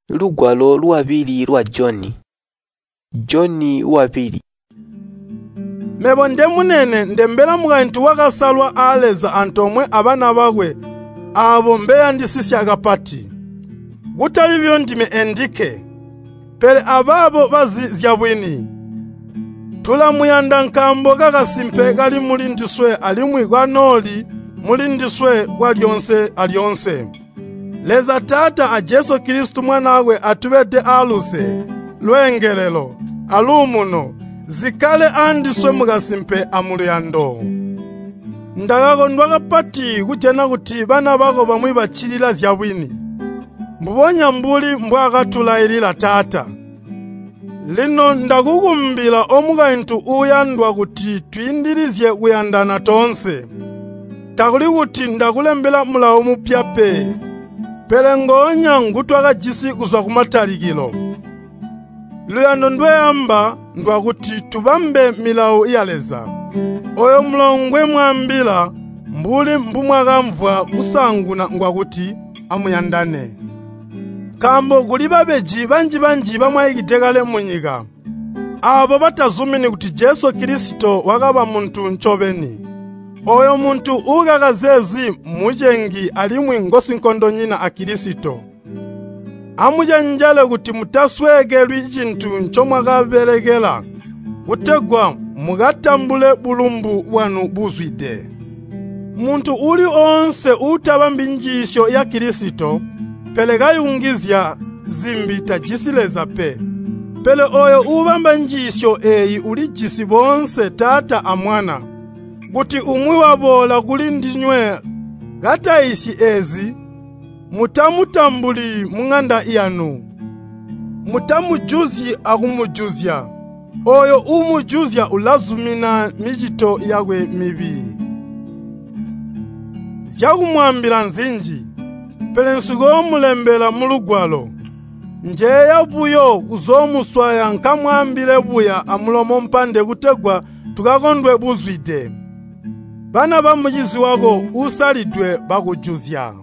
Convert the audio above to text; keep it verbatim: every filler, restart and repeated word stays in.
Lugwalo lwabili lwa Joni. Joni wabili. Mebo ndemunene ndembela mukaintu wakasalwa aa Leza antoomwe abana bakwe aabo mbeyandisisya kapati. Kutali buyo ndime endikke, pele abaabo bazi zyabwini. Tulamuyanda nkaambo kakasimpe kali muli ndiswe alimwi kanooli muli ndiswe kwalyoonse alyoonse. Leza Taata a Jesu Kilisito Mwanaakwe atubede aaluse, lweengelelo, aluumuno, zikkale andiswe mukasimpe amuluyando. Ndakakondwa kapati kujana kuti bana bako bamwi baccilila zyabwini, mbubonya mbuli mbwaakatulailila Taata. Lino ndakukumbila omukaintu uuyandwa kuti twiindilizye kuyandana toonse. Takuli kuti ndakulembela mulawo mupya pe, pele ngoonya ngutwakajisi kuzwa kumatalikilo. Luyando ndweamba ndwakuti tubambe milawo ya Leza. Ooyo mulawo ngwemwaambila mbuli mbumwakamvwa kusaanguna ngwakuti amuyandane. Nkaambo kuli babeji banji-banji bamwaikide kale munyika, aabo batazumini kuti Jesu Kilisito wakaba muntu ncobeni. Ooyo muntu uukaka zeezi mucengi alimwi ngosinkondonyina a Kilisito. Amucenjele kuti mutasweekelwi cintu ncomwakabelekela, kutegwa mukatambule bulumbu bwanu buzwide. Muntu uuli oonse uutabambi njiisyo ya Kilisito, pele kayungizya zimbi tajisi Leza pe. Pele ooyo uubamba njiisyo eeyi ulijisi boonse Taata a Mwana. Kuti umwi waboola kuli ndinywe kataiisyi eezi, mutamutambuli muŋanda yanu. Mutamujuzyi akumujuzya. Ooyo uumujuzya ulazumina micito yakwe mibi. Zyakumwaambila nzinji, pele nsikoomulembela mulugwalo. Njeeya buyo kuzoomuswaya nkamwaambile buya amulomo mpande kutegwa tukakondwe buzwide. Bana bamucizi wako uusalidwe bakujuzya.